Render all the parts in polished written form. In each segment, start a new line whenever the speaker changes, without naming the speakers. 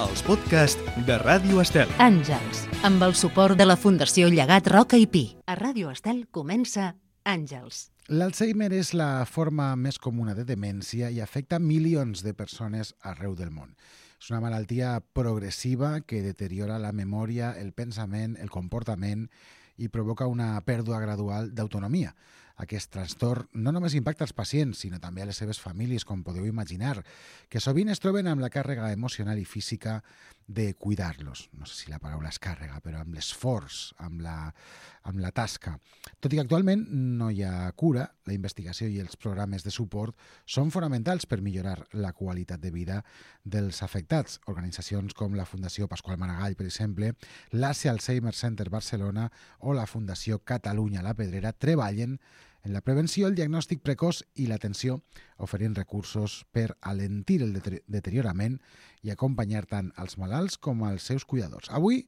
els podcasts de Ràdio Estel.
Àngels, amb el suport de la Fundació Llegat Roca i Pi. A Ràdio Estel comença Àngels.
L'Alzheimer és la forma més comuna de demència i afecta milions de persones arreu del món. És una malaltia progressiva que deteriora la memòria, el pensament, el comportament i provoca una pèrdua gradual d'autonomia. Aquest trastorn no només impacta els pacients, sinó també a les seves famílies, com podeu imaginar, que sovint es troben amb la càrrega emocional i física de cuidar-los. No sé si la paraula és càrrega, però amb l'esforç, amb la tasca. Tot i que actualment no hi ha cura, la investigació i els programes de suport són fonamentals per millorar la qualitat de vida dels afectats. Organitzacions com la Fundació Pasqual Maragall, per exemple, l'ASE Alzheimer Center Barcelona o la Fundació Catalunya La Pedrera treballen en la prevenció, el diagnòstic precoç i l'atenció, oferint recursos per alentir el deteriorament i acompanyar tant als malalts com als seus cuidadors. Avui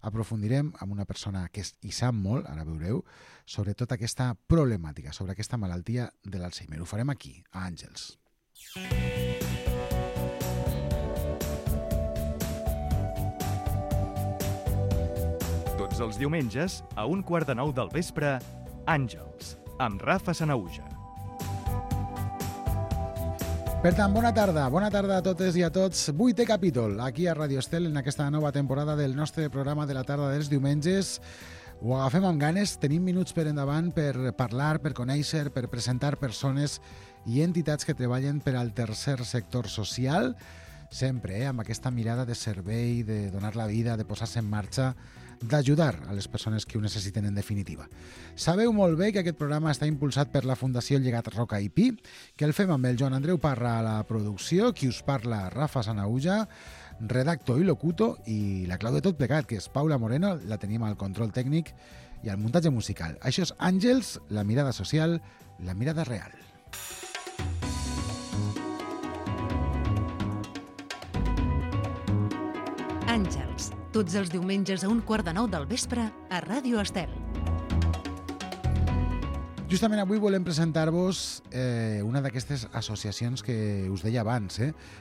aprofundirem amb una persona que hi sap molt, ara veureu, sobre tota aquesta problemàtica, sobre aquesta malaltia de l'Alzheimer. Ho farem aquí, a Àngels.
Tots els diumenges, a 8:45 del vespre, Àngels, amb Rafa Sanaüja.
Per tant, bona tarda a totes i a tots. 8è capítol, aquí a Ràdio Estel, en aquesta nova temporada del nostre programa de la tarda dels diumenges. Ho agafem amb ganes, tenim minuts per endavant per parlar, per conèixer, per presentar persones i entitats que treballen per al tercer sector social, sempre amb aquesta mirada de servei, de donar la vida, de posar-se en marxa, d'ajudar a les persones que ho necessiten en definitiva. Sabeu molt bé que aquest programa està impulsat per la Fundació Llegat Roca i Pi, que el fem amb el Joan Andreu Parra a la producció, qui us parla Rafa Sanaüja, redactor i locutor, i la clau de tot plegat, que és Paula Moreno, la tenim al control tècnic i al muntatge musical. Això és Àngels, la mirada social, la mirada real.
Àngels, tots els diumenges a 8:45 del vespre a Ràdio Estel.
Justament avui volem presentar-vos una d'aquestes associacions que us deia abans.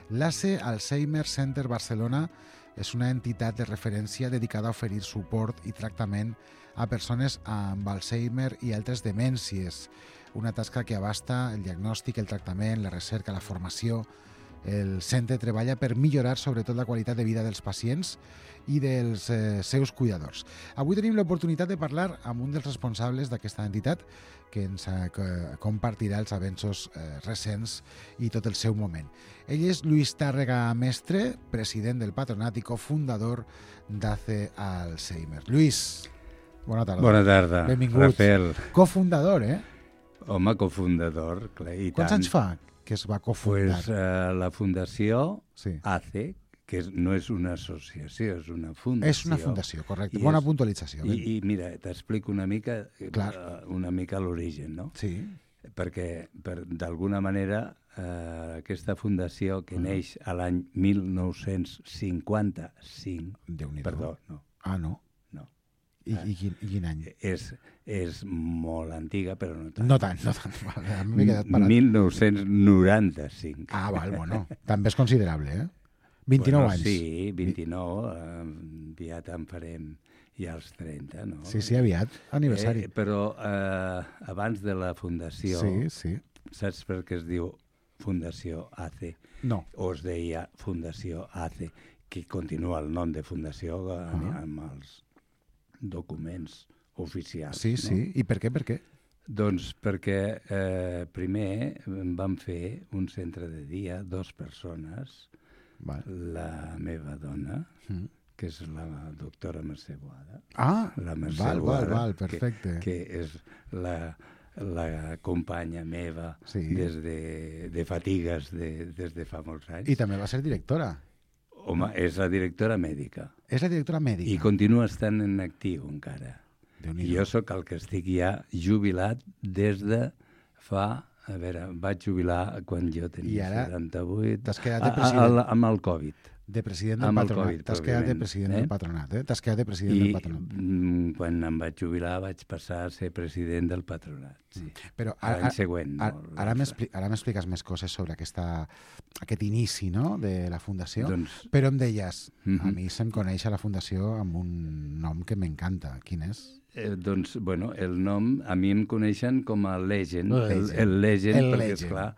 L'ASE Alzheimer Center Barcelona és una entitat de referència dedicada a oferir suport i tractament a persones amb Alzheimer i altres demències. Una tasca que abasta el diagnòstic, el tractament, la recerca, la formació. El centre treballa per millorar sobretot la qualitat de vida dels pacients i dels seus cuidadors. Avui tenim l'oportunitat de parlar amb un dels responsables d'aquesta entitat que ens compartirà els avenços recents i tot el seu moment. Ell és Lluís Tàrrega Mestre, president del patronat i cofundador d'ASE Alzheimer. Lluís, bona tarda.
Bona tarda,
benvingut.
Rafael.
Cofundador,
Home, cofundador, clar, i
Quants
tant.
anys fa que es va cofundar?
Pues, la Fundació
Sí.
ACE, que no és una associació, és una fundació.
És una fundació, correcte.
I
Bona
és-
puntualització.
I mira, t'explico una mica
Clar.
l'origen, no?
Sí,
Perquè, d'alguna manera, aquesta fundació que neix a l'any 1955...
Déu-n'hi-do.
Perdó, no.
Ah, no?
No.
I quin any?
És molt antiga, però no tant.
No tant. Vale, m'he quedat parat.
1995.
Ah, val, bueno. També és considerable, 29 anys.
Sí, 29, aviat en farem ja els 30, no?
Sí, aviat, aniversari.
Però abans de la fundació,
Sí.
saps per què es diu Fundació ACE?
No.
O es deia Fundació ACE, que continua el nom de fundació amb els documents oficials.
Sí. I per què?
Doncs perquè primer vam fer un centre de dia, 2 persones,
Val.
la meva dona, que és la doctora Mercè Boada.
Ah,
La Mercè Boada,
val, perfecte.
Que és la companya meva
Sí.
des de fatigues des de fa molts anys.
I també va ser directora.
Home, és la directora mèdica.
És la directora mèdica.
I continua estant en actiu encara.
Déu-n'hi-do.
I jo sóc el que estic ja jubilat des de fa... A veure, vaig jubilar quan jo
I
tenia
ara
78.
t'has quedat de president.
Amb el Covid.
De president del
Amb el
patronat.
Covid,
T'has quedat de
pròpiament,
president del patronat, eh? T'has quedat de president del patronat.
Quan em vaig jubilar vaig passar a ser president del patronat, sí.
Però
L'any següent.
Ara m'expliques més coses sobre aquest inici, no?, de la Fundació.
Doncs,
Però em deies, a mi se'm coneix a la Fundació amb un nom que m'encanta. Quin és?
doncs, bueno, el nom, a mi em coneixen com a Legend,
El
Legend, perquè,
Legend.
esclar,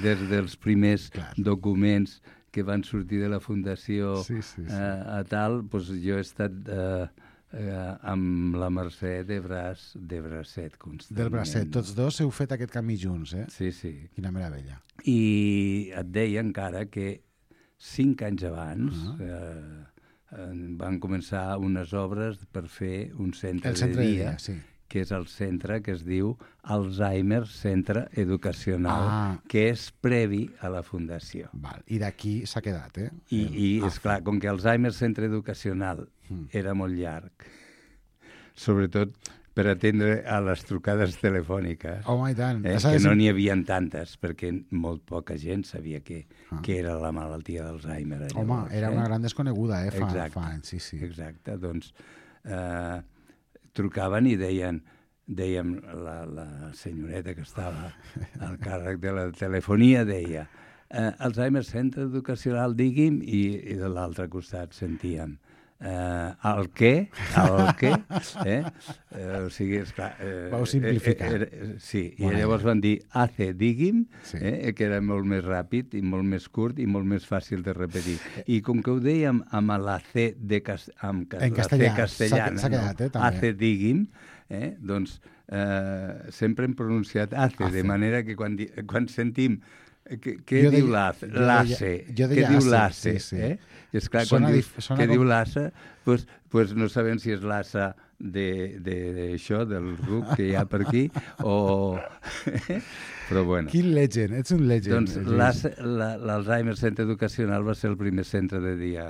des dels primers documents que van sortir de la Fundació a tal, doncs jo he estat amb la Mercè de bracet constantment.
Del bracet. Tots dos heu fet aquest camí junts, eh?
Sí, sí.
Quina meravella.
I et deia encara que 5 anys abans van començar unes obres per fer un centre de dia, que és el centre que es diu Alzheimer Centre Educacional, que és previ a la Fundació.
Val. I d'aquí s'ha quedat, eh?
I esclar, com que Alzheimer Centre Educacional era molt llarg, sobretot per atendre a les trucades telefòniques,
Home, i tant.
que no n'hi havia tantes, perquè molt poca gent sabia que era la malaltia d'Alzheimer.
Home, era una gran desconeguda,
Exacte.
Fa anys, sí.
Exacte, doncs trucaven i dèiem, la senyoreta que estava al càrrec de la telefonia deia Alzheimer Centre Educacional, digui'm, i de l'altre costat sentíem el què? O sigui, esclar...
Vau simplificar.
Sí, i llavors van dir AC, digui'm, que era molt més ràpid i molt més curt i molt més fàcil de repetir. I com que ho dèiem amb la C castellana, AC, digui'm, doncs sempre hem pronunciat AC, de manera que quan sentim què diu l'ACE? Què diu l'ACE? I esclar, quan dius què diu l'ACE, doncs no sabem si és l'ACE d'això, del RUC que hi ha per aquí, o... Però bueno.
Quin legend, ets un legend.
Doncs l'Alzheimer Centre Educacional va ser el primer centre de dia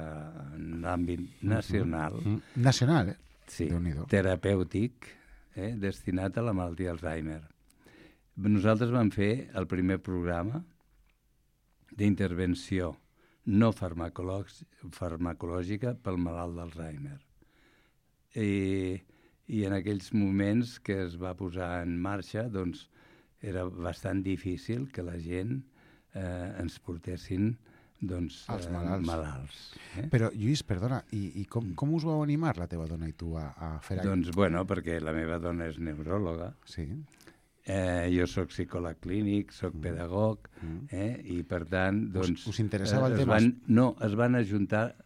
en l'àmbit nacional.
Nacional, eh?
Sí, terapèutic, destinat a la malaltia d'Alzheimer. Nosaltres vam fer el primer programa d'intervenció no farmacològica pel malalt d'Alzheimer. I en aquells moments que es va posar en marxa, doncs, era bastant difícil que la gent ens portessin els malalts.
Però, Lluís, perdona, i com us vau animar, la teva dona i tu, a fer això?
Doncs, bueno, perquè la meva dona és neuròloga.
Sí.
Jo soc psicòleg clínic, soc pedagog, i per tant, doncs...
Us interessava el tema?
No, es van ajuntar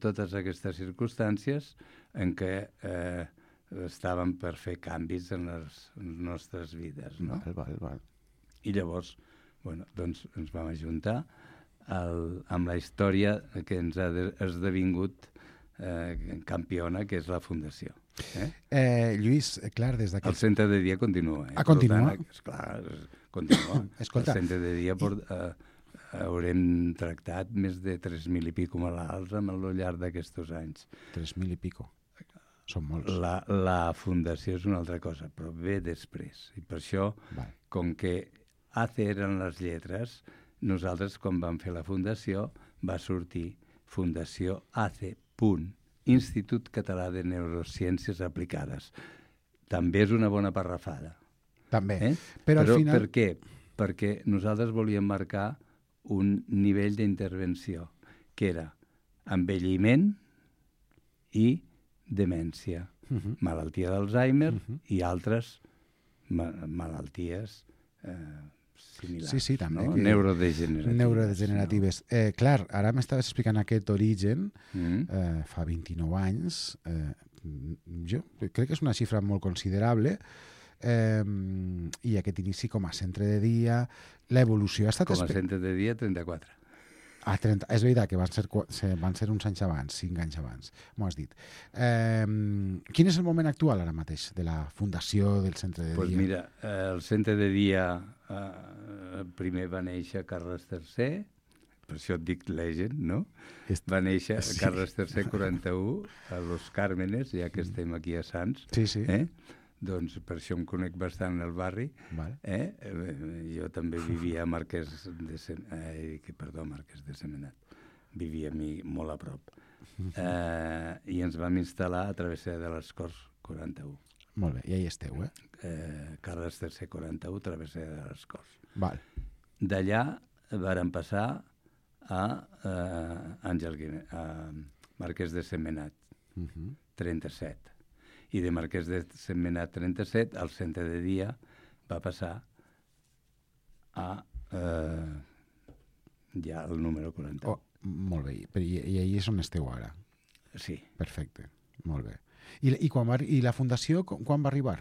totes aquestes circumstàncies en què estàvem per fer canvis en les nostres vides, no?
Val.
I llavors, bueno, doncs ens vam ajuntar amb la història que ens ha esdevingut campiona, que és la Fundació.
Lluís, clar, des d'aquest...
El centre de dia continua.
Continua?
Esclar, continua.
Escolta.
El centre de dia haurem tractat més de 3.000 i pico malalts al llarg d'aquests anys.
3.000 i pico. Són molts.
La Fundació és una altra cosa, però ve després. I per això, com que AC eren les lletres, nosaltres, quan vam fer la Fundació, va sortir Fundació AC. Institut Català de Neurociències Aplicades. També és una bona parrafada.
També. Però al final...
Per què? Perquè nosaltres volíem marcar un nivell d'intervenció que era envelliment i demència, malaltia d'Alzheimer i altres malalties similars.
Sí, també.
No? Neurodegeneratives.
Clar, ara m'estaves explicant aquest origen, fa 29 anys. Jo crec que és una xifra molt considerable, i aquest inici com a centre de dia, l'evolució ha estat...
Com a centre de dia, 34.
És veritat que van ser uns anys abans, 5 anys abans, m'ho has dit. Quin és el moment actual ara mateix de la fundació del centre de dia?
Doncs mira, el centre de dia primer va néixer Carles III, per això et dic Legend, no? Va néixer Carles III 41 a Los Cármenes, ja que estem aquí a Sants.
Sí.
Doncs per això em conec bastant el barri. Jo també vivia a Marquès de Sentmenat. Vivia molt a prop. I ens vam instal·lar a travessera de les Corts 41.
Molt bé, i ahí esteu,
Carles III 41, travessera de les Corts.
Val.
D'allà vàrem passar a Marquès de Sentmenat, 37. I de Marquès de Sentmenat 37, al centre de dia va passar a ja el número 41.
Molt bé, i ahí és on esteu ara?
Sí.
Perfecte, molt bé. I la fundació quan va arribar?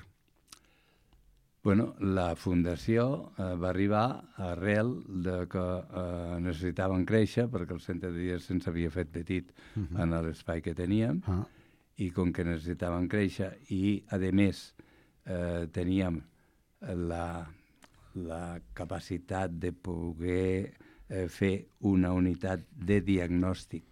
Bueno, la fundació va arribar arrel de que necessitaven créixer, perquè el centre de dia se'ns havia fet petit en l'espai que teníem, i com que necessitaven créixer i, a més, teníem la capacitat de poder fer una unitat de diagnòstic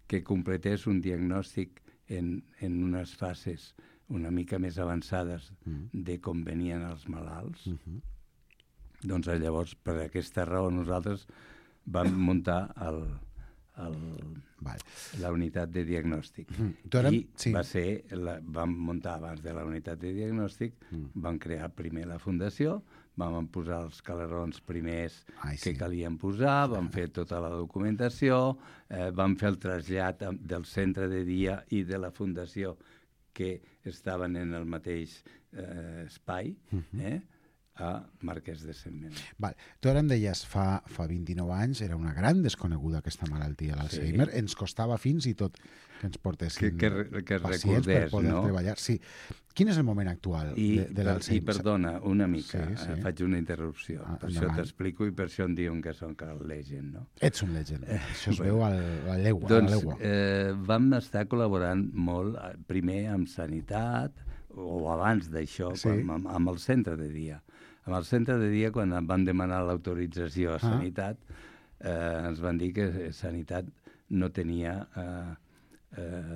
que completés un diagnòstic en unes fases una mica més avançades de com venien els malalts, doncs llavors, per aquesta raó, nosaltres vam muntar la unitat de diagnòstic. Vam muntar abans de la unitat de diagnòstic, vam crear primer la fundació, vam posar els calerons primers que calien posar, vam fer tota la documentació, vam fer el trasllat del centre de dia i de la fundació que estaven en el mateix espai, a Marquès de Sentmenat.
Tu ara em deies, fa 29 anys era una gran desconeguda aquesta malaltia, l'Alzheimer. Ens costava fins i tot que ens portessin pacients per poder treballar. Sí. Quin és el moment actual de l'Alzheimer?
I perdona, una mica, faig una interrupció. Per això t'explico i per això em diuen que soc el legend, no?
Ets un legend. Això es veu a la legua.
Doncs vam estar col·laborant molt, primer amb Sanitat, o abans d'això, amb el centre de dia. Amb el centre de dia, quan van demanar l'autorització a Sanitat, ens van dir que Sanitat no tenia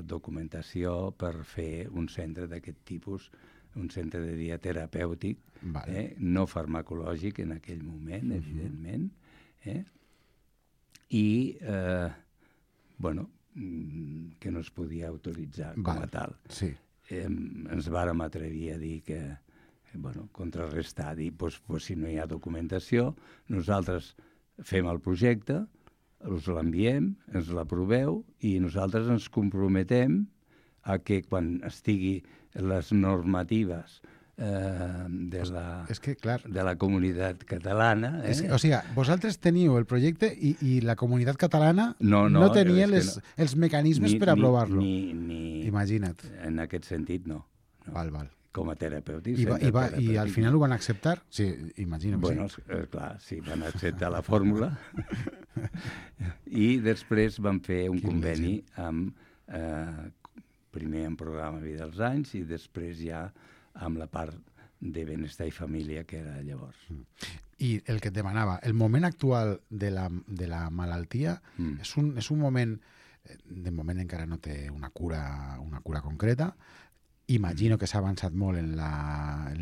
documentació per fer un centre d'aquest tipus, un centre de dia terapèutic, no farmacològic en aquell moment, evidentment, i, que no es podia autoritzar com a tal.
Sí.
Ens vàrem atrevir a dir que, contrarrestar, dir, si no hi ha documentació, nosaltres fem el projecte, us l'enviem, ens l'aproveu i nosaltres ens comprometem a que quan estigui les normatives de la comunitat catalana...
O sigui, vosaltres teniu el projecte i la comunitat catalana no tenia els mecanismes per aprovar-lo. Imagina't.
En aquest sentit, no.
Val.
Com a terapèutic.
I al final ho van acceptar? Sí, imagina't.
Bueno, clar, sí, van acceptar la fórmula. I després van fer un conveni primer amb programa Vida als Anys i després ja amb la part de benestar i família que era llavors.
I el que et demanava, el moment actual de la malaltia és un moment, de moment encara no té una cura concreta. Imagino que s'ha avançat molt en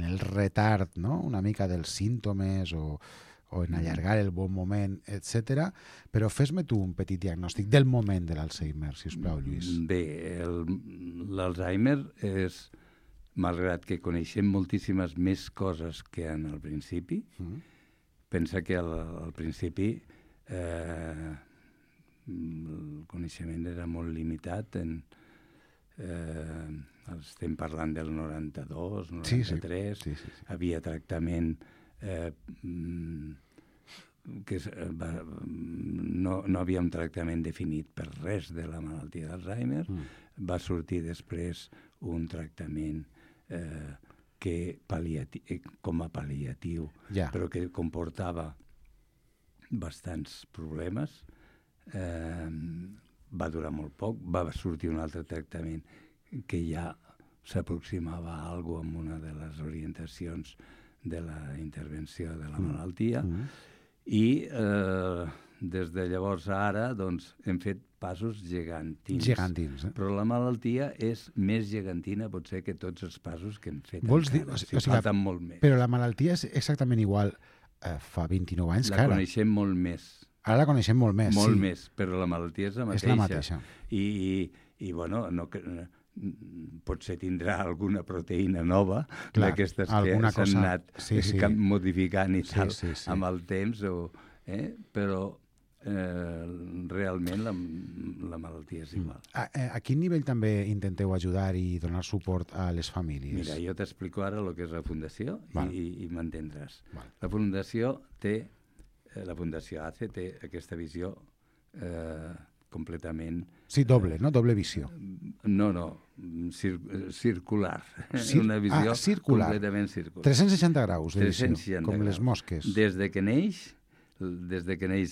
el retard, no?, una mica dels símptomes o en allargar el bon moment, etc. Però fes-me tu un petit diagnòstic del moment de l'Alzheimer, si us plau, Lluís.
Bé, l'Alzheimer és, malgrat que coneixem moltíssimes més coses que en el principi, pensa que al principi el coneixement era molt limitat estem parlant del 92, 93, havia tractament que no havia un tractament definit per res de la malaltia d'Alzheimer. Va sortir després un tractament com a pal·liatiu, però que comportava bastants problemes. Va durar molt poc, va sortir un altre tractament que ja s'aproximava a alguna cosa amb una de les orientacions de la intervenció de la malaltia i des de llavors a ara, doncs, hem fet passos gegantins.
Gegantins,
Però la malaltia és més gegantina, potser, que tots els passos que hem fet.
Vols dir,
falten molt més.
Però la malaltia és exactament igual fa 29 anys que ara.
La coneixem molt més.
Ara la coneixem molt més,
molt més, però la malaltia és la mateixa.
És la mateixa.
I bueno, potser tindrà alguna proteïna nova d'aquestes que s'han anat modificant i tal amb el temps, però realment la malaltia és igual.
A quin nivell també intenteu ajudar i donar suport a les famílies?
Mira, jo t'explico ara el que és la Fundació i m'entendràs. La Fundació ACE té aquesta visió completament...
Sí, doble, no? Doble visió.
No, circular. Una visió completament circular.
360 graus de visió, com les mosques.
Des de que neix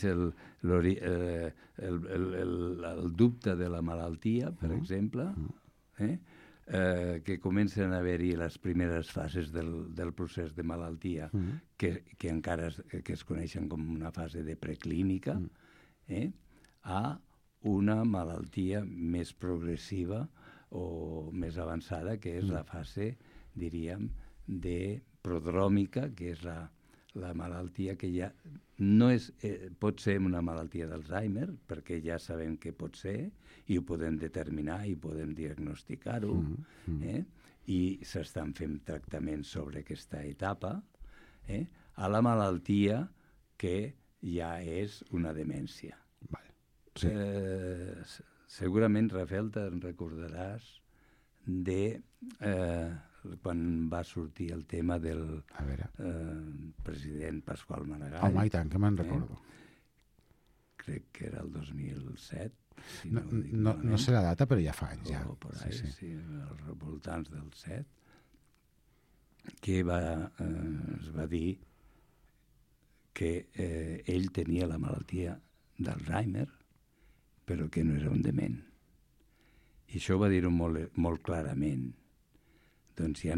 el dubte de la malaltia, per exemple, que comencen a haver-hi les primeres fases del procés de malaltia, que encara es coneixen com una fase de preclínica, a una malaltia més progressiva o més avançada, que és la fase, diríem, de prodròmica, que és la malaltia que ja no és, pot ser una malaltia d'Alzheimer, perquè ja sabem què pot ser, i ho podem determinar i podem diagnosticar-ho, i s'estan fent tractaments sobre aquesta etapa, a la malaltia que ja és una demència. Sí. Segurament, Rafael, te'n recordaràs de quan va sortir el tema del president Pasqual Maragall.
Home, i tant, que me'n recordo.
Crec que era el 2007. Si
no sé la data, però ja fa anys. Ja.
O per ahí, sí, als voltants del 7, que es va dir que ell tenia la malaltia d'Alzheimer, però que no era un dement. I això va dir-ho molt clarament. Doncs hi ha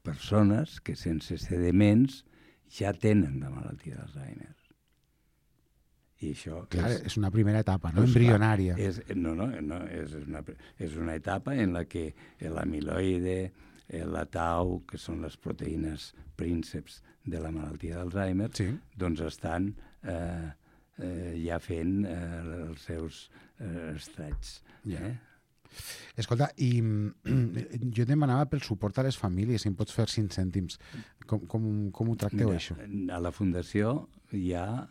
persones que sense ser dements ja tenen la malaltia d'Alzheimer. I això
és una primera etapa, no? Embrionària.
És una etapa en la que l'amiloide, la tau, que són les proteïnes prínceps de la malaltia d'Alzheimer, doncs estan ja fent els seus estrats.
Escolta, i jo demanava pel suport a les famílies, si em pots fer 5 cèntims. Com ho tracteu, això?
A la Fundació hi ha,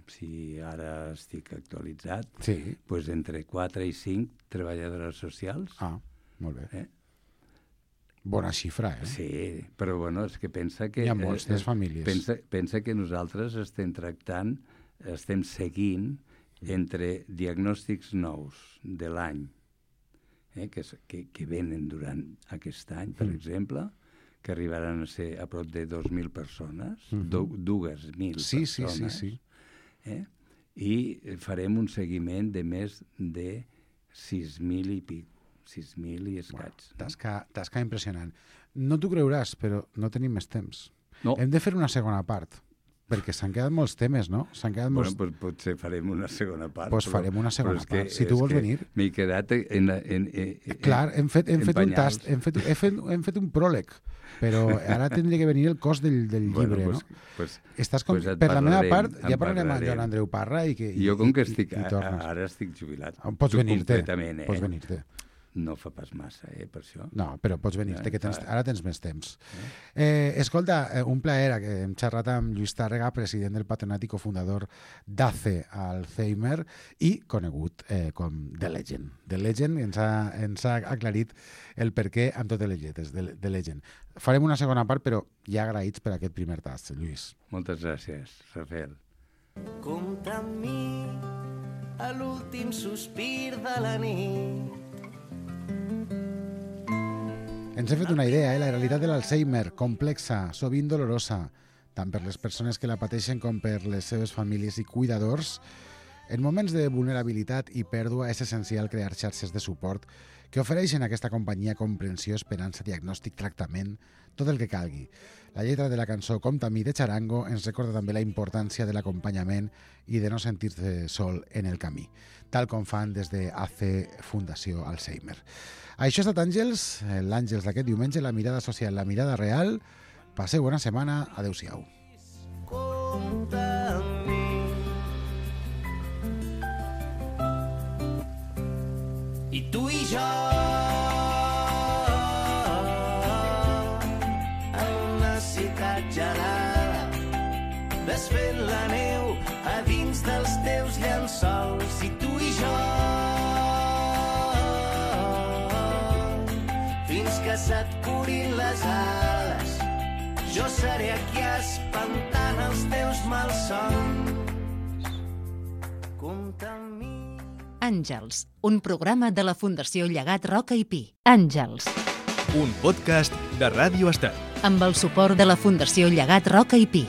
si ara estic actualitzat, entre 4 i 5 treballadores socials.
Molt bé. Bona xifra,
Sí, però bueno, és que pensa que...
Hi ha moltes famílies.
Pensa que nosaltres estem seguint entre diagnòstics nous de l'any, que venen durant aquest any, per exemple, que arribaran a ser a prop de 2.000 persones, 2.000 persones, i farem un seguiment de més de 6.000 i pico, 6.000 i escaig.
Tasca impressionant. No t'ho creuràs, però no tenim més temps. Hem de fer una segona part, perquè s'han quedat molts temes, no?
Potser farem una segona part.
Doncs farem una segona part, si tu vols venir.
M'he quedat en
clar, hem fet un tast, hem fet un pròleg, però ara tindria que venir el cos del llibre, no? Per la meva part, ja parlarem amb Joan Andreu Parra i
jo, com que ara estic jubilat,
pots venir-te. Pots venir-te.
No fa pas massa, per això.
No, però pots venir-te, que ara tens més temps. Escolta, un plaer, que hem xerrat amb Lluís Tàrrega, president del Patronat i cofundador d'ACE Alzheimer i conegut com The Legend. The Legend ens ha aclarit el perquè amb totes les lletres, The Legend. Farem una segona part, però ja agraïts per aquest primer tast, Lluís.
Moltes gràcies, Rafael.
Compta amb mi a l'últim sospir de la nit.
Ens hem fet una idea, la realitat de l'Alzheimer, complexa, sovint dolorosa, tant per les persones que la pateixen com per les seves famílies i cuidadors. En moments de vulnerabilitat i pèrdua és essencial crear xarxes de suport que ofereixen a aquesta companyia comprensió, esperança, diagnòstic, tractament, tot el que calgui. La lletra de la cançó Compta amb mi de Charango ens recorda també la importància de l'acompanyament i de no sentir-se sol en el camí, tal com fan des de AC Fundació Alzheimer. Això ha estat Àngels, l'Àngels d'aquest diumenge, la mirada social, la mirada real. Passeu bona setmana, adeu-siau.
Compta amb mi. I tu i jo en una ciutat gelada, desfent la neu a dins dels teus llençols. I tu i jo fins que se't curin les ales, jo seré aquí espantant els teus malsons. Compta amb mi.
Àngels, un programa de la Fundació Llegat Roca i Pi. Àngels.
Un podcast de Ràdio Estat.
Amb el suport de la Fundació Llegat Roca i Pi.